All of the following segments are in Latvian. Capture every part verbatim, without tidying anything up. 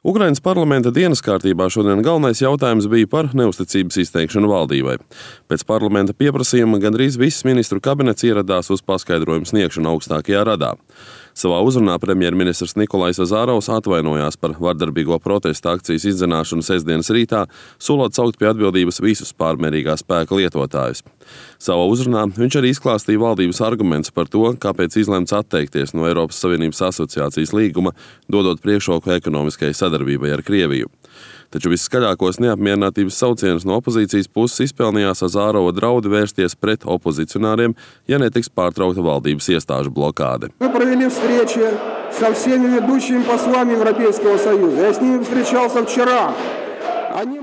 Ukrainas parlamenta dienas kārtībā šodien galvenais jautājums bija par neusticības izteikšanu valdībai. Pēc parlamenta pieprasījuma gandrīz viss ministru kabinets ieradās uz paskaidrojumu sniegšanu augstākajā radā. Savā uzrunā premjerministrs Nikolais Azarovs atvainojās par vardarbīgo protesta akcijas izdzenāšanu sestdienas rītā, solot saukt pie atbildības visus pārmērīgā spēka lietotājus. Savā uzrunā viņš arī izklāstīja valdības argumentus par to, kāpēc izlemts atteikties no Eiropas Savienības asociācijas līguma, dodot priekšroku ekonomiskai sadarbībai ar Krieviju. Taču visskaļākos neapmierinātības saucienus no opozīcijas puses izpelnījās Azarova draudi vērsties pret opozicionāriem, ja netiks pārtraukta valdības iestāžu blokāde.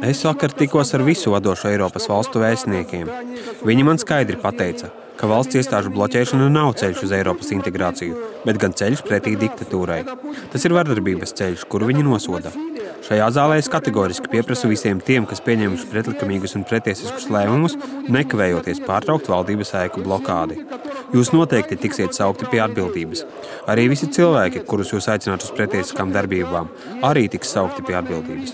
Es vakar tikos ar visu vadošo Eiropas valstu vēstniekiem. Viņi man skaidri pateica, ka valsts iestāžu bloķēšana nav ceļš uz Eiropas integrāciju, bet gan ceļš pretī diktatūrai. Tas ir vardarbības ceļš, kuru viņi nosoda. Šajā zālē es kategoriski pieprasu visiem tiem, kas pieņemuši pretlikumīgus un pretiesiskus lēmumus, nekavējoties pārtraukt valdības ēku blokādi. Jūs noteikti tiksiet saukti pie atbildības. Arī visi cilvēki, kurus jūs aicināt uz pretiesiskām darbībām, arī tiks saukti pie atbildības.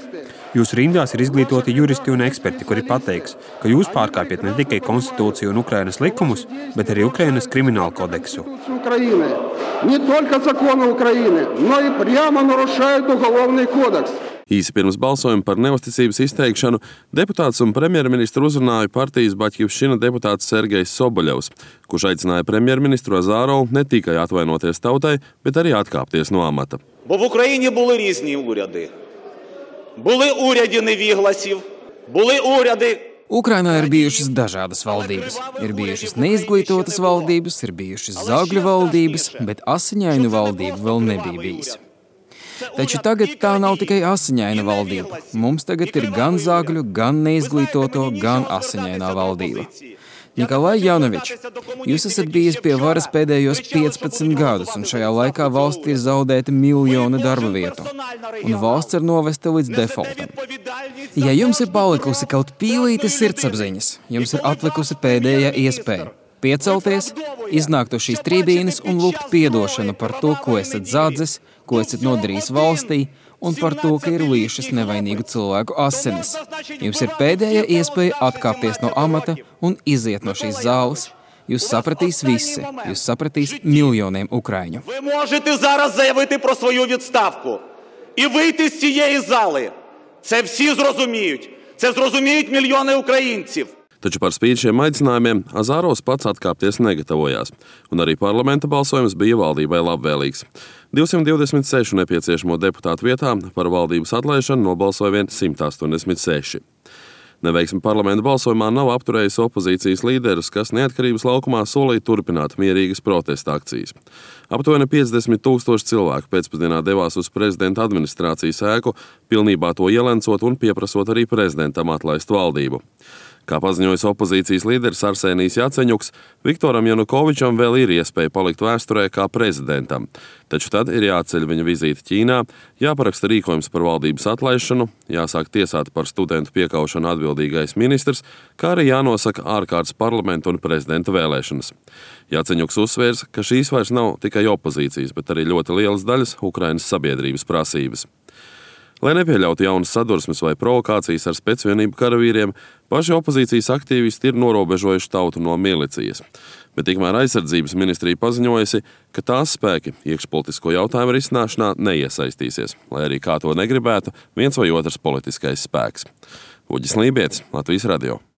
Jūsu rindās ir izglītoti juristi un eksperti, kuri pateiks, ka jūs pārkāpjat ne tikai konstitūciju un Ukrainas likumus, bet arī Ukrainas kriminālu kodeksu. Īsi pirms balsojuma par neusticības izteikšanu deputāts un premjerministru uzrunāja partijas Baķivšķina deputāts Sergejs Soboļevs, kurš aicināja premjerministru Azarovu ne tikai atvainoties tautai, bet arī atkāpties no amata. Бо в Україні були різні уряди. Були уряди невігласів, були уряди. Ukrainā ir bijušas dažādas valdības. Ir bijušas neizglītotas valdības, ir bijušas zagļu valdības, bet asiņainu valdību vēl nebija bijis. Taču tagad tā nav tikai asiņaina valdība. Mums tagad ir gan zagļu, gan neizglītoto, gan asiņainā valdība. Nikolai Janovič, jūs esat bijis pie varas pēdējos piecpadsmit gadus, un šajā laikā valstī ir zaudēti miljoni darba vietu, un valsts ir novesta līdz defaultam. Ja jums ir palikusi kaut pīlīte sirdsapziņas, jums ir atlikusi pēdējā iespēja piecelties, iznākt uz šīs trībīnes un lūgt piedošanu par to, ko esat zadzis, ko esat nodarījis valstī, un par to, ka ir lījušas nevainīgu cilvēku asinis. Jums ir pēdējā iespēja atkāpties no amata un iziet no šīs zāles. Jūs sapratīs visi, jūs sapratīs miljoniem ukraiņu. Ви можете зараз заявити про свою відставку і вийти з цієї зали. Це всі зрозуміють. Це зрозуміють мільйони українців. Taču par spīti šiem aicinājumiem Azarovs pats atkāpties negatavojās, un arī parlamenta balsojums bija valdībai labvēlīgs. divsimt divdesmit sešu nepieciešamo deputātu vietā par valdības atlaišanu nobalsoja vien simt astoņdesmit seši. Neveiksme parlamenta balsojumā nav apturējusi opozīcijas līderus, kas neatkarības laukumā solīja turpināt mierīgas protesta akcijas. Aptuveni piecdesmit tūkstoši cilvēku pēcpusdienā devās uz prezidenta administrācijas ēku, pilnībā to ielencot un pieprasot arī prezidentam atlaist valdību. Kā paziņojis opozīcijas līderis Arsenijs Jaceņuks, Viktoram Janukovičam vēl ir iespēja palikt vēsturē kā prezidentam, taču tad ir jāceļ viņa vizīte Ķīnā, jāparaksta rīkojums par valdības atlaišanu, jāsāk tiesāt par studentu piekaušanu atbildīgais ministrs, kā arī jānosaka ārkārtas parlamenta un prezidenta vēlēšanas. Jaceņuks uzsvērs, ka šīs vairs nav tikai opozīcijas, bet arī ļoti lielas daļas Ukrainas sabiedrības prasības. Lai nepieļautu jaunas sadursmes vai provokācijas ar specvienību karavīriem, paši opozīcijas aktīvisti ir norobežojuši tautu no milicijas. Bet tikmēr aizsardzības ministrija paziņojusi, ka tās spēki iekšpolitisko jautājumu risināšanā neiesaistīsies, lai arī kā to negribētu viens vai otrs politiskais spēks. Uģis Lībietis, Latvijas radio.